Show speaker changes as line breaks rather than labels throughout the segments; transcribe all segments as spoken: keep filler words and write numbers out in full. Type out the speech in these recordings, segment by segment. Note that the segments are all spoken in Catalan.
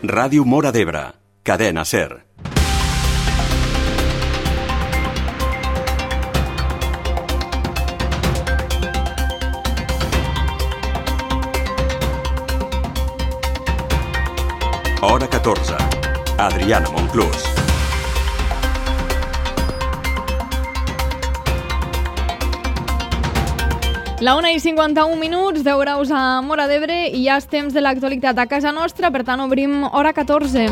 Ràdio Móra d'Ebre, Cadena SER. Hora catorze. Adriana Monclús.
La una i cinquanta-un minuts, deu graus a Móra d'Ebre i ja és temps de l'actualitat a casa nostra, per tant obrim Hora catorze.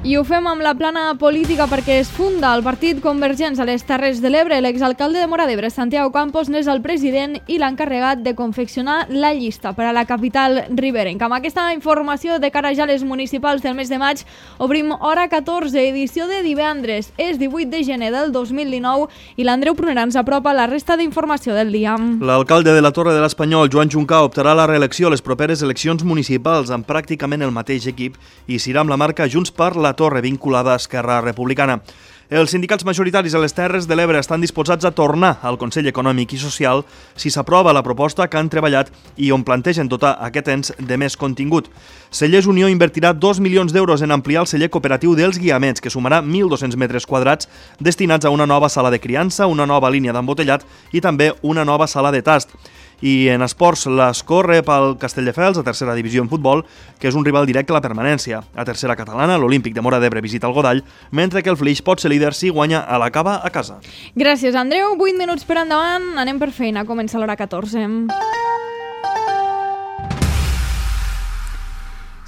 I ho fem amb la plana política perquè es funda el Partit Convergents a les Terres de l'Ebre. L'exalcalde de Móra d'Ebre, Santiago Campos, n'és el president i l'encarregat de confeccionar la llista per a la capital riberenca. Amb aquesta informació de cara ja a les municipals del mes de maig, obrim Hora catorze, edició de divendres. És divuit de gener del dos mil dinou i l'Andreu Prunera ens apropa la resta d'informació del dia.
L'alcalde de la Torre de l'Espanyol, Joan Juncà, optarà a la reelecció a les properes eleccions municipals amb pràcticament el mateix equip i serà amb la marca Junts per la Torre, vinculada a Esquerra Republicana. Els sindicats majoritaris a les Terres de l'Ebre estan disposats a tornar al Consell Econòmic i Social si s'aprova la proposta que han treballat i on plantegen dotar aquest ens de més contingut. Cellers Unió invertirà dos milions d'euros en ampliar el celler cooperatiu dels Guiamets, que sumarà mil dos-cents metres quadrats destinats a una nova sala de criança, una nova línia d'embotellat i també una nova sala de tast. I en esports, l'Escó rep el Castelldefels, a tercera divisió en futbol, que és un rival directe a la permanència. A tercera catalana, l'Olímpic de Móra d'Ebre visita el Godall, mentre que el Flix pot ser líder si guanya a la Cava a casa.
Gràcies, Andreu. vuit minuts per endavant. Anem per feina. Comença l'Hora catorze.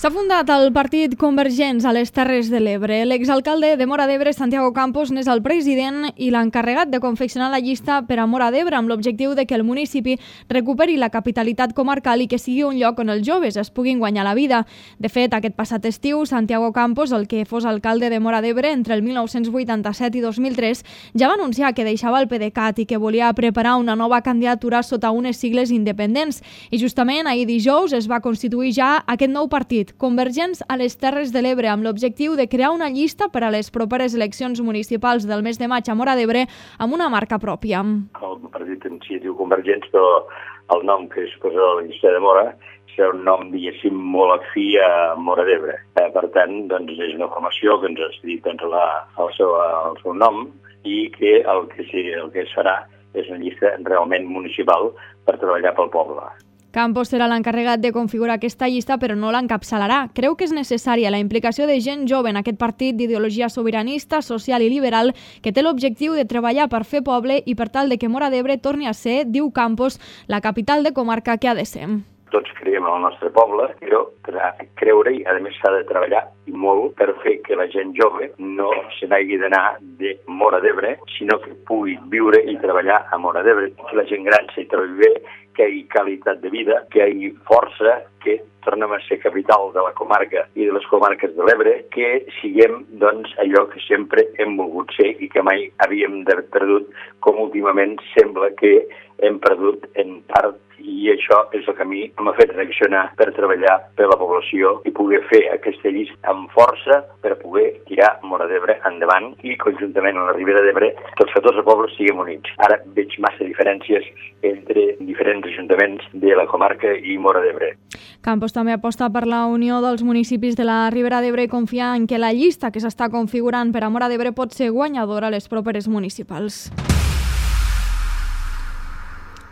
S'ha fundat el Partit Convergents a les Terres de l'Ebre. L'exalcalde de Móra d'Ebre, Santiago Campos, n'és el president i l'encarregat de confeccionar la llista per a Móra d'Ebre amb l'objectiu de que el municipi recuperi la capitalitat comarcal i que sigui un lloc on els joves es puguin guanyar la vida. De fet, aquest passat estiu, Santiago Campos, el que fos alcalde de Móra d'Ebre entre el mil nou-cents vuitanta-set i dos mil tres, ja va anunciar que deixava el PDeCAT i que volia preparar una nova candidatura sota unes sigles independents. I justament ahir dijous es va constituir ja aquest nou partit, Convergents a les Terres de l'Ebre, amb l'objectiu de crear una llista per a les properes eleccions municipals del mes de maig a Móra d'Ebre amb una marca pròpia.
El partit en si diu Convergents, però el nom que es posa a la llista de Móra serà un nom, diguéssim, molt afí a Móra d'Ebre. Eh, per tant, doncs, és una formació que ens ha cedit doncs, la, el, seu, el seu nom i que el que, sí, el que es farà és una llista realment municipal per treballar pel poble.
Campos serà l'encarregat de configurar aquesta llista, però no l'encapçalarà. Creu que és necessària la implicació de gent jove en aquest partit d'ideologia sobiranista, social i liberal que té l'objectiu de treballar per fer poble i per tal de que Móra d'Ebre torni a ser, diu Campos, la capital de comarca que ha de ser.
Tots creiem en el nostre poble, però creure i a més s'ha de treballar i molt per fer que la gent jove no se n'hagi d'anar de Móra d'Ebre, sinó que pugui viure i treballar a Móra d'Ebre, que la gent gran s'hi trobi bé, que hi hagi qualitat de vida, que hi hagi força, que tornem a ser capital de la comarca i de les comarques de l'Ebre, que siguem doncs, allò que sempre hem volgut ser i que mai havíem perdut, com últimament sembla que hem perdut en part, i això és el que a mi m'ha fet reaccionar per treballar per la població i poder fer aquesta llista amb força per poder tirar Móra d'Ebre endavant i conjuntament a la Ribera d'Ebre tots catorze pobles siguem units. Ara veig massa diferències entre diferents ajuntaments de la comarca i Móra d'Ebre.
Campos també aposta per la unió dels municipis de la Ribera d'Ebre i confia en que la llista que s'està configurant per a Móra d'Ebre pot ser guanyadora a les properes municipals.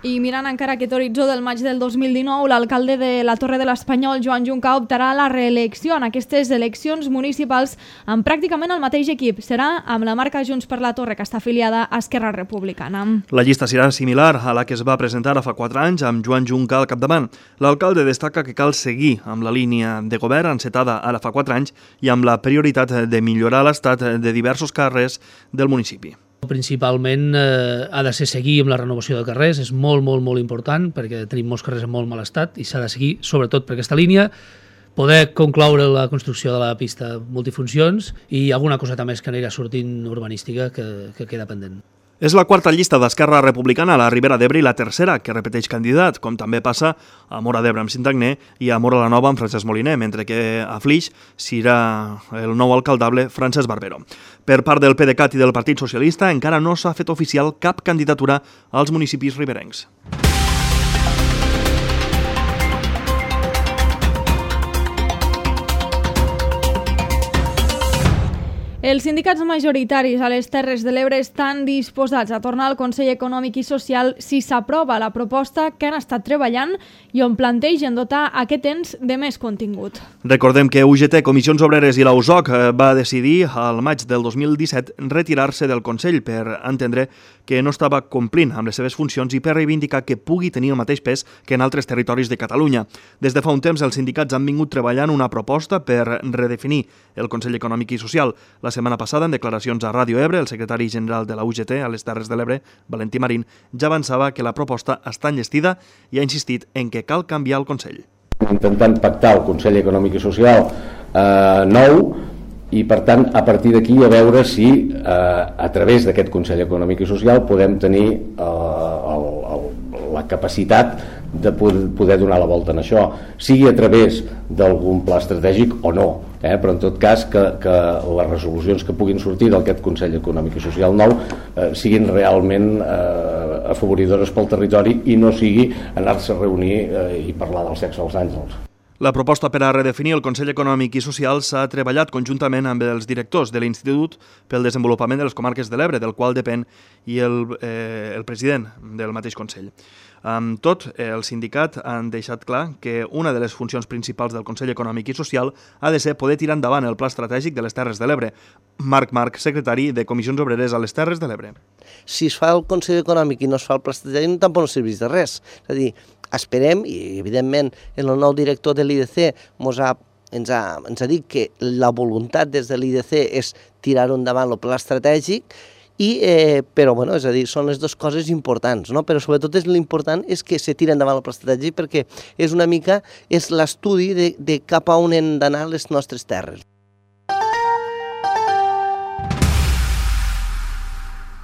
I mirant encara aquest horitzó del maig del dos mil dinou, l'alcalde de la Torre de l'Espanyol, Joan Juncà, optarà a la reelecció en aquestes eleccions municipals amb pràcticament el mateix equip. Serà amb la marca Junts per la Torre, que està afiliada a Esquerra Republicana.
La llista serà similar a la que es va presentar fa quatre anys amb Joan Juncà al capdavant. L'alcalde destaca que cal seguir amb la línia de govern encetada ara fa quatre anys i amb la prioritat de millorar l'estat de diversos carrers del municipi.
Principalment eh, ha de ser seguir amb la renovació de carrers, és molt, molt, molt important perquè tenim molts carrers en molt mal estat i s'ha de seguir sobretot per aquesta línia, poder concloure la construcció de la pista multifuncions i alguna cosa també que anirà sortint urbanística que, que queda pendent.
És la quarta llista d'Esquerra Republicana a la Ribera d'Ebre i la tercera que repeteix candidat, com també passa a Móra d'Ebre amb Sintagné i a Móra la Nova amb Francesc Moliner, mentre que a Flix serà el nou alcaldable Francesc Barbero. Per part del PDeCAT i del Partit Socialista encara no s'ha fet oficial cap candidatura als municipis riberencs.
Els sindicats majoritaris a les Terres de l'Ebre estan disposats a tornar al Consell Econòmic i Social si s'aprova la proposta que han estat treballant i on plantegen dotar aquest ens de més contingut.
Recordem que U G T, Comissions Obreres i la U S O C va decidir al maig del dos mil disset retirar-se del Consell per entendre que no estava complint amb les seves funcions i per reivindicar que pugui tenir el mateix pes que en altres territoris de Catalunya. Des de fa un temps, els sindicats han vingut treballant una proposta per redefinir el Consell Econòmic i Social. La setmana passada, en declaracions a Ràdio Ebre, el secretari general de la U G T a les Terres de l'Ebre, Valentí Marín, ja avançava que la proposta està enllestida i ha insistit en que cal canviar el Consell.
Intentant pactar el Consell Econòmic i Social eh, nou i, per tant, a partir d'aquí a veure si eh, a través d'aquest Consell Econòmic i Social podem tenir eh, el, el, la capacitat de poder donar la volta en això, sigui a través d'algun pla estratègic o no, eh? Però en tot cas que, que les resolucions que puguin sortir d'aquest Consell Econòmic i Social nou eh, siguin realment eh, afavoridores pel territori i no sigui anar-se a reunir eh, i parlar del sexe als àngels.
La proposta per a redefinir el Consell Econòmic i Social s'ha treballat conjuntament amb els directors de l'Institut pel Desenvolupament de les Comarques de l'Ebre, del qual depèn, i el, eh, el president del mateix Consell. Amb tot, el sindicat han deixat clar que una de les funcions principals del Consell Econòmic i Social ha de ser poder tirar endavant el Pla Estratègic de les Terres de l'Ebre. Marc Marc, secretari de Comissions Obreres a les Terres de l'Ebre.
Si es fa el Consell Econòmic i no es fa el Pla Estratègic, tampoc no serveix de res. És a dir, esperem, i evidentment el nou director de l'I D C ens ha, ens, ha, ens ha dit que la voluntat des de l'I D C és tirar-ho endavant el Pla Estratègic, I, eh, però bueno, és a dir, són les dues coses importants, no? Però sobretot és l'important és que se tira endavant el pla estratègic perquè és una mica és l'estudi de, de cap a on han d'anar les nostres terres.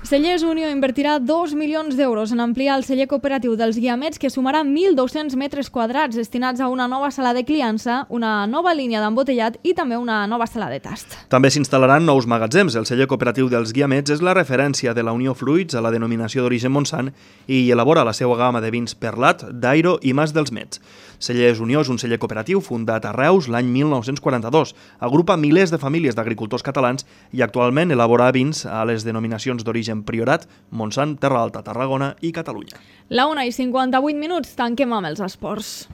Cellers Unió invertirà dos milions d'euros en ampliar el celler cooperatiu dels Guiamets, que sumarà mil dos-cents metres quadrats destinats a una nova sala de criança, una nova línia d'embotellat i també una nova sala de tast.
També s'instal·laran nous magatzems. El celler cooperatiu dels Guiamets és la referència de la Unió Fruits a la denominació d'origen Montsant i elabora la seva gamma de vins Perlat, Dairo i Mas dels Mets. Cellers Unió és un celler cooperatiu fundat a Reus l'any mil nou-cents quaranta-dos. Agrupa milers de famílies d'agricultors catalans i actualment elabora vins a les denominacions d'origen Priorat, Montsant, Terra Alta, Tarragona i Catalunya.
La una i cinquanta-vuit minuts, tanquem amb els esports.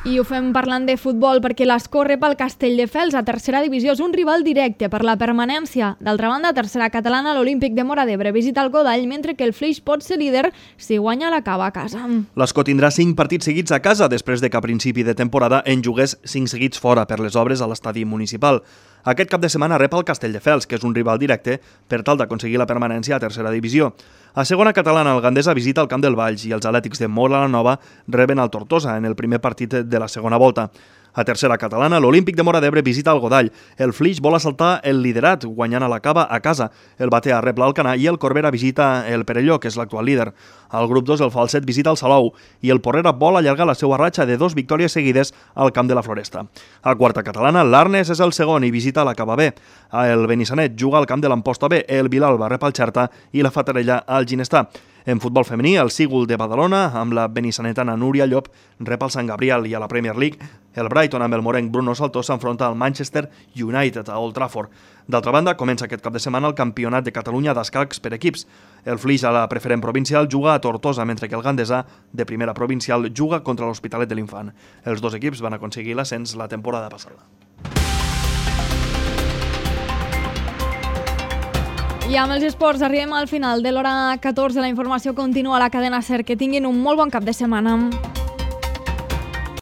I ho fem parlant de futbol perquè l'Escó rep el Castelldefels a tercera divisió. És un rival directe per la permanència. D'altra banda, a tercera catalana, l'Olímpic de Móra d'Ebre visita el Godall, mentre que el Flix pot ser líder si guanya la Cava a casa.
L'Escó tindrà cinc partits seguits a casa després de que a principi de temporada en jugués cinc seguits fora per les obres a l'estadi municipal. Aquest cap de setmana rep el Castelldefels, que és un rival directe per tal d'aconseguir la permanència a tercera divisió. A segona catalana, el Gandesa visita el Camp del Valls i els Atlètics de Móra la Nova reben el Tortosa en el primer partit de la segona volta. A tercera catalana, l'Olímpic de Móra d'Ebre visita el Godall. El Flix vol assaltar el liderat, guanyant a la Cava a casa. El Batea rep l'Alcanar i el Corbera visita el Perelló, que és l'actual líder. Al grup dos, el Falset visita el Salou i el Porrera vol allargar la seva ratxa de dos victòries seguides al Camp de la Floresta. A quarta catalana, l'Arnes és el segon i visita la Cava B. El Benissanet juga al Camp de l'Amposta B, el Vilalba rep el Xerta i la Fatarella al Ginestà. En futbol femení, el Sígul de Badalona, amb la benissanetana Núria Llop, rep el Sant Gabriel, i a la Premier League, el Brighton amb el morenc Bruno Saltó s'enfronta al Manchester United a Old Trafford. D'altra banda, comença aquest cap de setmana el Campionat de Catalunya d'escacs per equips. El Flix a la preferent provincial juga a Tortosa, mentre que el Gandesa, de primera provincial, juga contra l'Hospitalet de l'Infant. Els dos equips van aconseguir l'ascens la temporada passada.
I amb els esports arribem al final de l'hora catorze. La informació continua a la cadena SER. Que tinguin un molt bon cap de setmana.